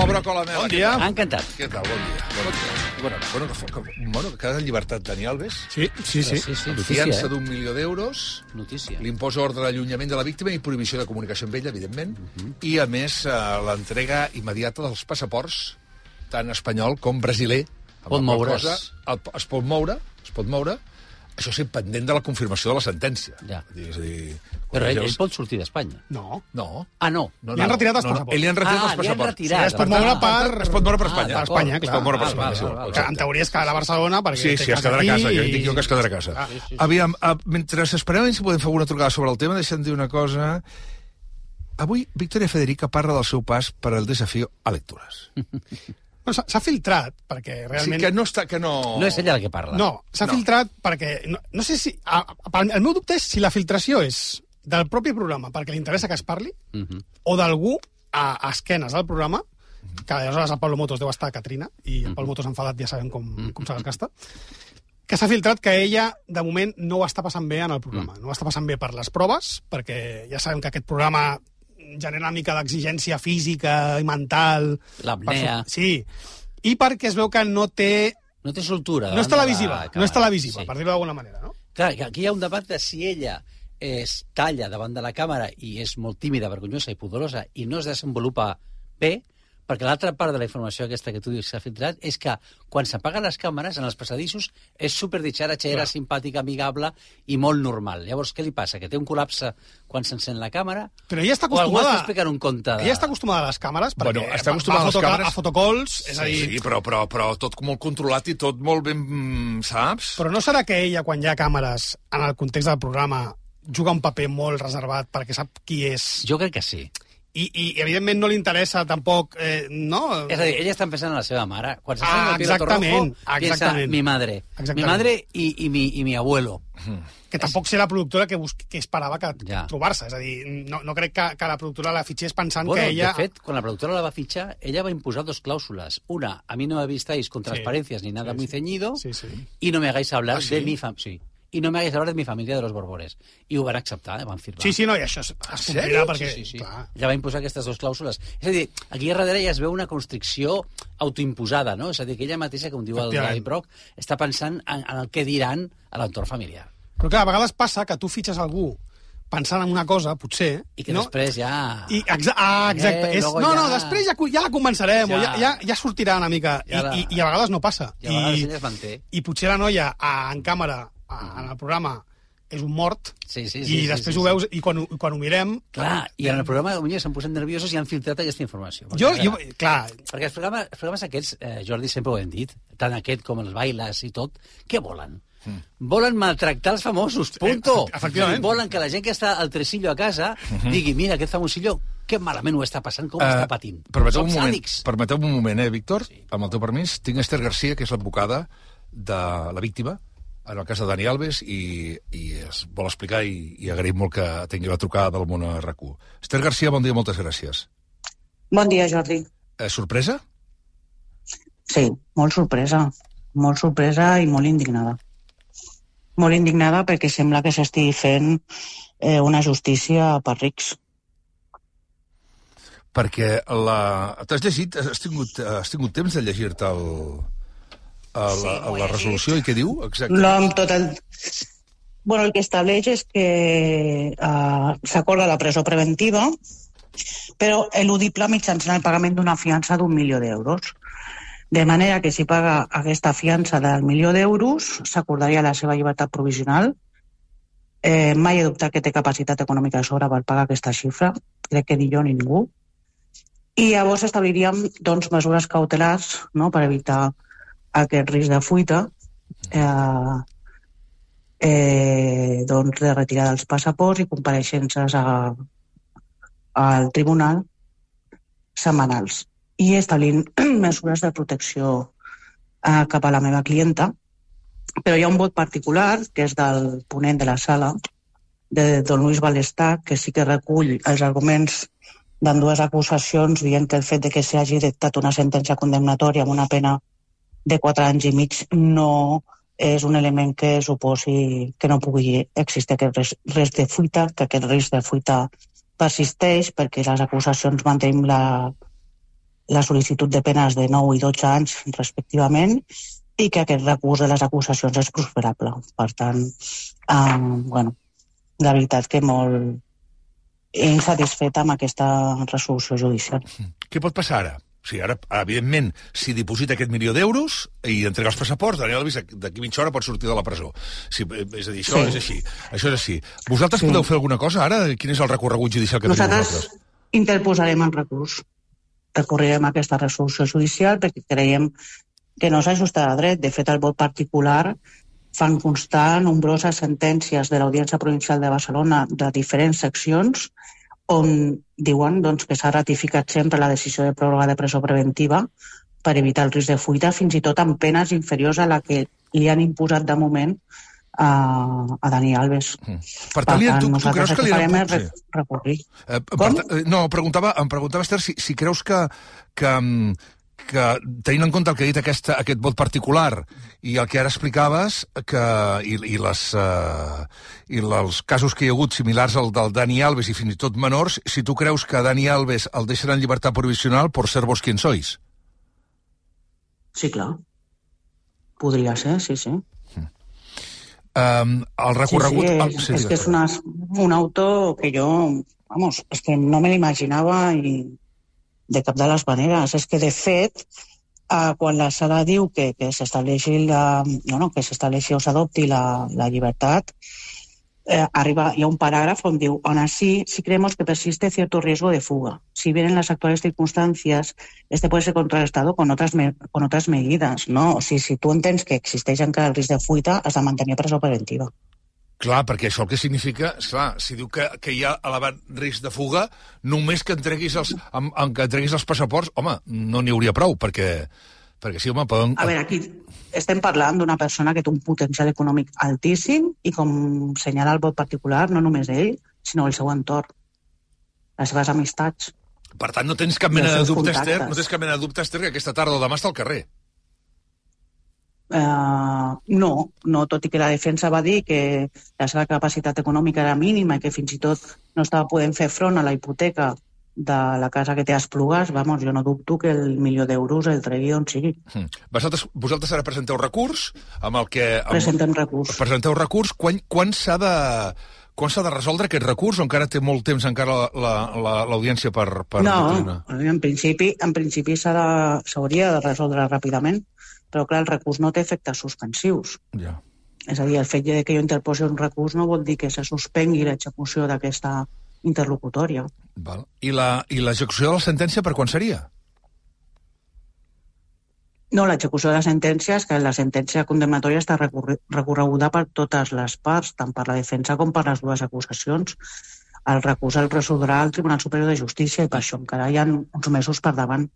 Pobra Colamela. Bon dia. Encantat. Què tal? Bon dia. Bueno, que queda en llibertat Dani Alves. Sí. Fiança d'1 milió d'euros. Notícia. L'imposa ordre d'allunyament de la víctima i prohibició de comunicació amb ella, evidentment. I, a més, l'entrega immediata dels passaports, tant espanyol com brasiler. Pot moure's. Es pot moure. Això sí, pendent de la confirmació de la sentència. Ja. És a dir, Però ell pot sortir d'Espanya. No. Ah, no. Li han retirat els passaports. Li han retirat els passaports. Sí, es pot moure Es pot moure per Espanya. Per Espanya, clar. Es pot moure per Espanya. Que en teoria es quedarà a Barcelona perquè Sí, es quedarà a casa. Jo dic jo que es quedarà a casa. Aviam, mentre esperem si podem fer alguna trucada sobre el tema, deixa'm dir una cosa. Avui, Victoria Federica parla del seu pas per al desafío a lectures. Bueno, s'ha filtrat, perquè realment... Sí, que no... No és ella la que parla. No, s'ha filtrat perquè... No sé si... El meu dubte és si la filtració és del propi programa perquè li interessa que es parli o d'algú a esquenes del programa, que aleshores el Pablo Motos deu estar a Catrina i el Pablo Motos enfadat ja sabem com se desgasta, que s'ha filtrat que ella, de moment, no ho està passant bé en el programa. No ho està passant bé per les proves, perquè ja sabem que aquest programa genera una mica d'exigència física i mental. L'apnea. Sí. I perquè es veu que no té... No té soltura. No és televisiva, per dir-ho d'alguna manera, no? Clar, aquí hi ha un debat de si ella es talla davant de la càmera i és molt tímida, vergonyosa i pudorosa i no es desenvolupa bé, perquè l'altra part de la informació aquesta que tu dius que s'ha filtrat és que quan s'apaguen les càmeres en els passadissos és superditxaratxera, simpàtica, amigable i molt normal. Llavors, què li passa? Que té un col·lapse quan s'encén la càmera? Però ella està acostumada... O algú està explicant un conte de... Ella està acostumada a les càmeres perquè està acostumada a fotocalls, és a dir... Sí, però tot molt controlat i tot molt ben... saps? Però no serà que ella, quan hi ha càmeres en el context del programa, juga un paper molt reservat perquè sap qui és? Jo crec que sí. I evidentment no li interessa tampoc, no? És a dir, ella està pensant en la seva mare. Quan se sent el piloto rojo, piensa mi madre. Mi madre i mi abuelo. Que tampoc sé la productora que esperava trobar-se. És a dir, no crec que la productora la fitxés pensant que ella... De fet, quan la productora la va fitxar, ella va imposar 2 clàusules. Una, a mí no me vistáis con transparencias ni nada muy ceñido, y no me hagáis hablar de mi familia. Sí. I no m'hagués hablar de mi família de los Borbores. I ho van acceptar, van firmar. Sí, no, i això es complirà perquè... Sí. Ja va imposar aquestes 2 clàusules. És a dir, aquí darrere ja es veu una constricció autoimposada, no? És a dir, que ella mateixa, com diu el David Brock, està pensant en el que diran a l'entorn familiar. Però clar, a vegades passa que tu fitxes algú pensant en una cosa, potser... I que després ja... Exacte. Després ja la convencerem, o ja sortirà una mica. I a vegades no passa. I a vegades ella es manté. I potser la noia en càmera, en el programa, és un mort, i després ho veus, i quan ho mirem... Clar, i en el programa potser s'han posat nerviosos i han filtrat aquesta informació. Clar. Perquè els programes aquests, Jordi, sempre ho hem dit, tant aquest com els bailes i tot, què volen? Volen maltractar els famosos, punto. Efectivament. Volen que la gent que està al tresillo a casa digui, mira, aquest famosillo, que malament ho està passant, com està patint. Permeteu un moment, Víctor, amb el teu permís. Tinc Esther Garcia, que és l'advocada de la víctima, en el cas de Dani Alves, i es vol explicar i agraïm molt que tingui la trucada del món a RAC1. Esther Garcia, bon dia, moltes gràcies. Bon dia, Jordi. Sorpresa? Sí, molt sorpresa. Molt sorpresa i molt indignada. Molt indignada perquè sembla que s'estigui fent una justícia per rics. Perquè t'has llegit, has tingut temps de llegir-te la resolució i què diu? Bueno, el que estableix és que s'acorda la presó preventiva, però eludible mitjançant el pagament d'una fiança d'1 milió d'euros. De manera que si paga aquesta fiança del 1 milió d'euros, s'acordaria la seva llibertat provisional. Mai he dubtat que té capacitat econòmica de sobre per pagar aquesta xifra. Crec que ni jo ni ningú. I llavors establiríem mesures cautelars, no?, per evitar aquest risc de fuita, de retirar dels passaports i compareixences al tribunal setmanals. I establint mesures de protecció cap a la meva clienta. Però hi ha un vot particular, que és del ponent de la sala, de don Luis Balestà, que sí que recull els arguments d'ambdues acusacions, dient que el fet de que s'hagi dictat una sentència condemnatòria amb una pena de 4 anys i mig no és un element que suposi que no pugui existir aquest risc de fuita, que aquest risc de fuita persisteix perquè les acusacions mantenim la sol·licitud de penes de 9 i 12 anys respectivament i que aquest recurs de les acusacions és prosperable. Per tant, la veritat que molt insatisfeta amb aquesta resolució judicial. Què pot passar ara? O sigui, ara, evidentment, si diposita aquest 1.000.000 d'euros i entrega els passaports, Daniel Alves d'aquí mitja hora pot sortir de la presó. Sí, és a dir, això és així. Això és així. Vosaltres podeu fer alguna cosa ara? Quin és el recorregut judicial que teniu vosaltres? Nosaltres interposarem el recurs. Recorrerem aquesta resolució judicial perquè creiem que no s'ajusta a dret. De fet, el vot particular fan constar nombroses sentències de l'Audiència Provincial de Barcelona de diferents seccions on diuen que s'ha ratificat sempre la decisió de pròrroga de presó preventiva per evitar el risc de fuita, fins i tot amb penes inferiors a la que li han imposat de moment a Dani Alves. Per tant, tu creus que li han recurrir. No, em preguntava, Esther, si creus que tenint en compte el que ha dit aquest vot particular i el que ara explicaves i els casos que hi ha hagut similars al del Dani Alves i fins i tot menors, si tu creus que Dani Alves el deixen en llibertat provisional por ser vos quien sois? Sí, clar. Podria ser, sí. El recorregut... Sí, és que és un auto que jo, és que no me l'imaginava i de cap de les maneres. És que, de fet, quan la sala diu que s'estableixi o s'adopti la llibertat, hi ha un paràgraf on diu: aún así, si creemos que persiste cierto riesgo de fuga. Si bien en las actuales circunstancias este puede ser contrarrestado con otras medidas, ¿no? O sigui, si tu entens que existeix encara el risc de fuita, has de mantenir presó preventiva. Clar, perquè això el que significa, esclar, si diu que hi ha elevat risc de fuga, només que entreguis els passaports, home, no n'hi hauria prou, perquè sí, home, poden... A veure, aquí estem parlant d'una persona que té un potencial econòmic altíssim i, com senyala el vot particular, no només ell, sinó el seu entorn, les seves amistats. Per tant, no tens cap mena de dubte, Esther, que aquesta tarda o demà està al carrer. No, tot i que la defensa va dir que la seva capacitat econòmica era mínima i que fins i tot no estava podent fer front a la hipoteca de la casa que té a Esplugues, jo no dubto que el 1.000.000 d'euros el tregui d'on sigui. Vosaltres ara presenteu recurs amb el que... Presentem recurs. Presenteu recurs. Quan s'ha de resoldre aquest recurs, o encara té molt temps encara l'audiència per... No, en principi s'hauria de resoldre ràpidament, però clar, el recurs no té efectes suspensius. Ja. És a dir, el fet que jo interposi un recurs no vol dir que se suspengui l'execució d'aquesta interlocutòria. Val. I l'execució de la sentència per quan seria? No, l'execució de la sentència és que la sentència condemnatòria està recorreguda per totes les parts, tant per la defensa com per les dues acusacions. El recurs el resoldrà el Tribunal Superior de Justícia i per això encara hi ha uns mesos per davant.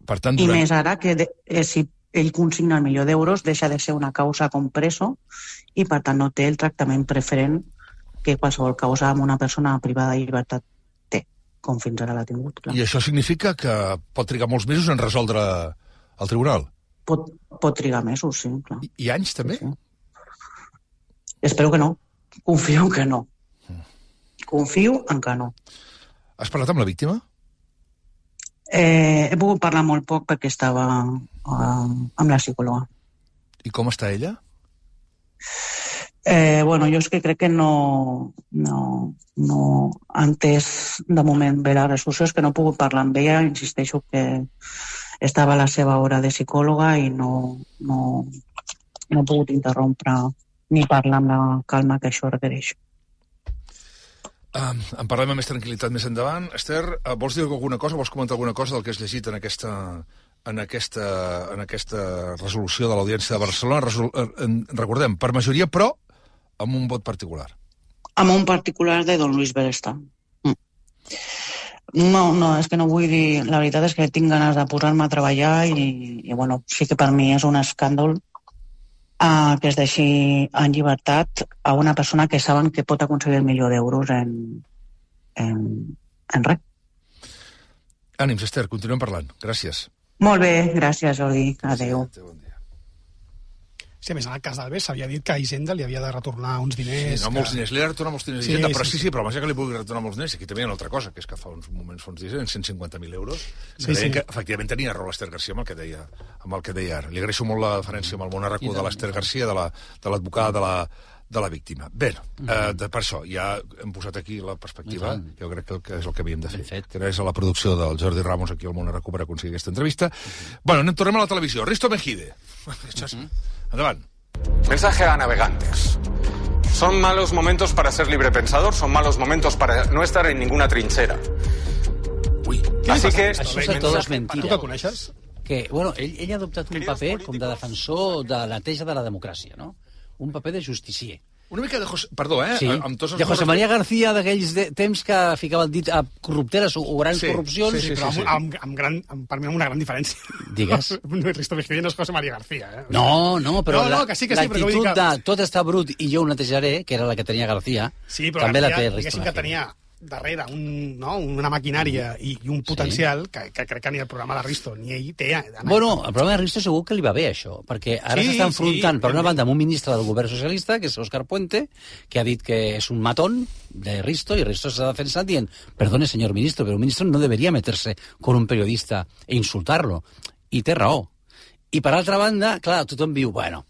Per tant, I més ara que si ell consigna el 1.000.000 d'euros deixa de ser una causa com preso i per tant no té el tractament preferent que qualsevol causa amb una persona privada de llibertat té, com fins ara l'ha tingut. Clar. I això significa que pot trigar molts mesos en resoldre el tribunal? Pot trigar mesos, sí, clar. I anys, també? Sí. Espero que no. Confio en que no. Confio en que no. Has parlat amb la víctima? He pogut parlar molt poc perquè estava amb la psicòloga. I com està ella? Jo és que crec que no ha entès de moment bé la resolució, és que no he pogut parlar amb ella, insisteixo que estava a la seva hora de psicòloga i no he pogut interrompre ni parlar amb la calma que això requereix. En parlem amb més tranquil·litat més endavant. Esther, vols dir alguna cosa, vols comentar alguna cosa del que has llegit en aquesta resolució de l'Audiència de Barcelona? Recordem, per majoria, però amb un vot particular. Amb un particular de don Luis Beresta. No, és que no vull dir... La veritat és que tinc ganes de posar-me a treballar i sí que per mi és un escàndol que es deixi en llibertat a una persona que saben que pot aconseguir el 1.000.000 d'euros en res. Ànims, Esther, continuem parlant. Gràcies. Molt bé, gràcies, Jordi. Adéu. Bon dia. Sí, a més, en el cas d'Alves s'havia dit que a Hisenda li havia de retornar uns diners... Sí, no molts diners, li ha de retornar molts diners a Sí, Hisenda, però sí, sí, però abans que li pugui retornar molts diners, aquí també hi ha una altra cosa, que és que fa uns moments, fa uns dies, eren 150.000 euros, que deien que efectivament tenia raó l'Ester Garcia amb el que deia ara. Li agraeixo molt la deferència amb el món arracó de l'Ester Garcia, de l'advocada de la víctima. Bé, per això, ja hem posat aquí la perspectiva, jo crec que és el que havíem de fer, que és a la producció del Jordi Ramos aquí al món arracó per aconseguir aquesta entrevista. Bueno, tornem a la televisió. Risto Mejide. Endavant. Mensaje a navegantes. Son malos momentos para ser librepensador, son malos momentos para no estar en ninguna trinchera. Ui, Así que... Això és tot mentida. Tu que coneixes? Que, bueno, ell ha adoptat un paper com de defensor de la neteja de la democràcia, no? Un paper de justicier. una mica de... Perdó, Sí, amb tots els de José María García, d'aquells temps que ficava el dit a corrupteres o grans corrupcions. sí, Però per mi amb una gran diferència. Digues. Risto Mejide no és José María García, eh? No, però que sí, però vull dir l'actitud que... de tot està brut i jo ho netejaré, que era la que tenia García, sí, però també García, la té Risto diguéssim que Mejide. tenia darrere una maquinària i un potencial que crec que ni el programa de Risto ni ell té. Bueno, el problema de Risto segur que li va bé, això, perquè ara s'està enfrontant, per una banda, amb un ministre del govern socialista, que és Óscar Puente, que ha dit que és un matón de Risto, i Risto s'ha defensat dient, perdone, señor ministro, pero un ministro no debería meterse con un periodista e insultarlo. I té raó. I per altra banda, clar, tothom diu, bueno,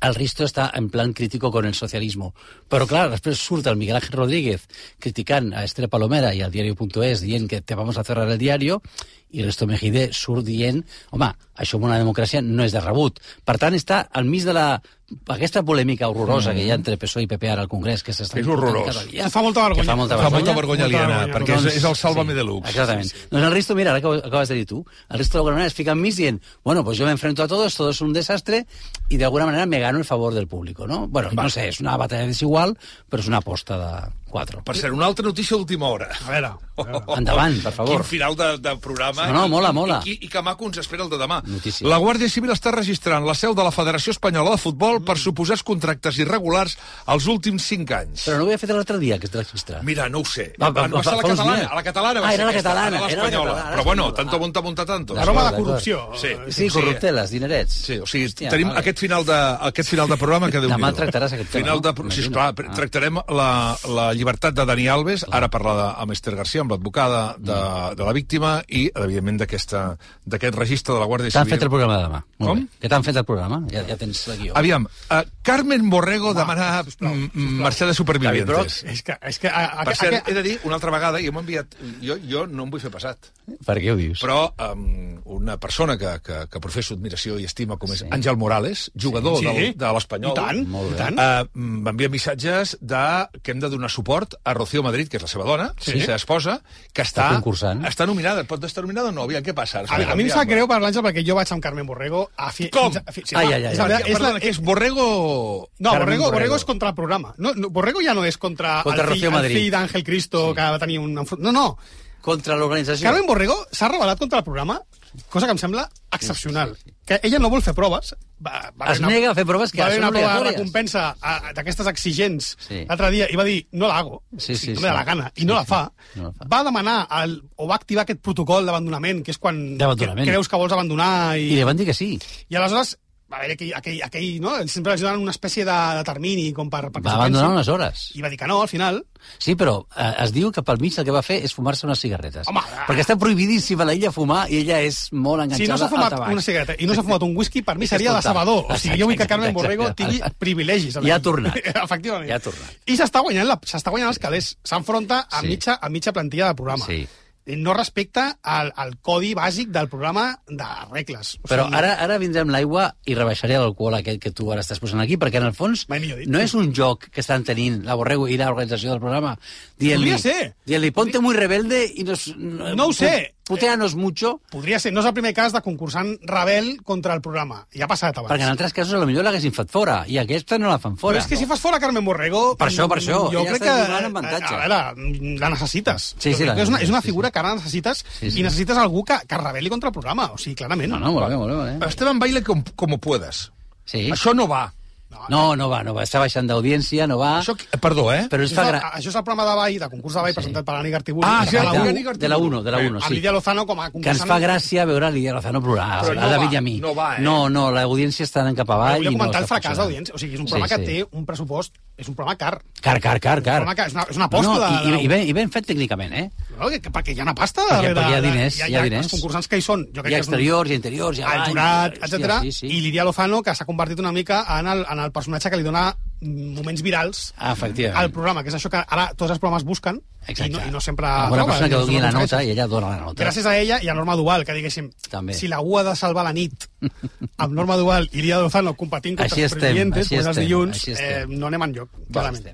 el Risto està en plan crítico con el socialismo. Però, clar, després surt el Miguel Ángel Rodríguez criticant a Esther Palomera i al diario.es dient que te vamos a cerrar el diario, i Risto Mejide surt dient, home, això en una democràcia no és de rebut. Per tant, està al mig de aquesta polèmica horrorosa que hi ha entre PSOE i PP ara al Congrés, que s'està... És horrorós. Fa molta vergonya. Fa molta vergonya aliena, perquè és el Sálvame Deluxe. Exactament. Doncs el Risto, mira, ara que ho acabes de dir tu, el Risto d'alguna manera es fica enmig dient, bueno, pues yo me enfrento a todos, todo es un desastre, y de alguna manera me gano el favor del público, ¿no? Bueno, no sé, és una batalla desigual, però és una aposta de 4. Per cert, una altra notícia d'última hora. A veure. Endavant, per favor. Quin final de programa. No, mola. I que maco ens espera el de demà. Notícia. La Guàrdia Civil està registrant la seu de la Federació Espanyola de Futbol per suposats contractes irregulars als últims 5 anys. Però no ho havia fet l'altre dia, que es registrar. Mira, no ho sé. Va ser la catalana. A la catalana va ser era la aquesta, catalana, ara era la l'espanyola. catalana. Però bueno, tanto monta tanto. Aroma de corrupció. Sí, corrupteles, dinerets. Sí, o sigui, Hòstia, tenim vale. aquest final de programa que Déu-n'hi-do. Demà tractaràs aquest tema, no? Sí, esclar, tractarem la llibertat de Dani Alves, ara parlar amb Esther Garcia, amb l'advocada de la víctima i, evidentment, d'aquest registre de la Guàrdia Civil. T'han fet el programa de demà. Com? Que t'han fet el programa? Ja tens el guió. Aviam, Carmen Borrego demana marxar de Supervivientes. És que... Per cert, he de dir, una altra vegada, i m'ha enviat... Jo no em vull fer passat. Per què ho dius? Però una persona que professo admiració i estima, com és Àngel Morales, jugador de l'Espanyol, I tant. m'envia missatges que hem de donar suport a Rocío Madrid, que és la seva dona, la seva esposa, que està nominada. Pot estar nominada o no? Aviam, què passa? A mi em sap greu per l'Àngel perquè jo vaig amb Carmen Borrego a fi... Com? És Borrego... No, Borrego és contra el programa. Borrego ja no és contra el fill d'Àngel Cristo, que va tenir un... No. Contra l'organització. Carmen Borrego s'ha rebel·lat contra el programa, cosa que em sembla excepcional. Que ella no vol fer proves. Es nega a fer proves que són obligatòries. Va haver una recompensa d'aquestes exigents l'altre dia i va dir, no la hago, no me da la gana, i no la fa. Va demanar o va activar aquest protocol d'abandonament, que és quan creus que vols abandonar. I li van dir que sí. I aleshores va haver aquell, no? Sempre els donen una espècie de termini com per va abandonar unes hores. I va dir que no, al final. Sí, però es diu que pel mig el que va fer és fumar-se unes cigarretes. Home, perquè està prohibidíssima a l'illa fumar i ella és molt enganxada si no s'ha fumat al tabac. una cigarreta i no s'ha fumat un whisky, per mi seria decebedor. O sigui, jo vull que Carmen Borrego tingui privilegis. Ja ha tornat. Efectivament. Ja ha tornat. I s'està guanyant els calés. S'enfronta a mitja plantilla del programa. Sí. No respecta al codi bàsic del programa de regles. Però ara vindrem l'aigua i rebaixaré l'alcohol aquest que tu ara estàs posant aquí, perquè en el fons no és un joc que estan tenint la Borrego i l'organització del programa dient-li ponte muy rebelde i no ho sé. Puteanos mucho. Podria ser. No és el primer cas de concursant rebel contra el programa. Ja ha passat abans. Perquè en altres casos potser l'haguessin fet fora i aquesta no la fan fora. Però és que si fas fora Carmen Borrego... Per això. Jo crec que... A veure, la necessites. Sí, és una figura que ara necessites i necessites algú que rebel·li contra el programa. O sigui, clarament. No, molt bé. Esteban, baila como puedas. Sí. Això no va. No va. Està baixant d'audiència, no va... Això, perdó, Però ens fa Això és el programa de ball, de concurs de ball, presentat per l'Ani Gartibuli. De la 1, sí. Amb Lídia Lozano com a concursant. Que ens fa gràcia veure Lídia Lozano plorar, a David i a mi. No, l'audiència està anant cap avall. Volia comentar el fracàs d'audiència. O sigui, és un programa que té un pressupost... És un programa car. Car. És una aposta. I ben fet tècnicament, eh? Perquè hi ha una pasta darrere. Perquè hi ha diners, hi ha diners. Els concursants que hi són. Hi ha exteriors, hi ha interiors, hi ha... El jurat, etc. I Lídia Lozano, que s'ha convertit una mica en el personatge que li dona moments virals al programa, que és això que ara tots els programes busquen i no sempre... Una persona que doni la nota i ella dona la nota. Gràcies a ella i a Norma Duval, que diguéssim, si l'algú ha de salvar la nit amb Norma Duval i Lídia Lozano competint contra els presidentes, doncs els dilluns no anem enlloc, clarament.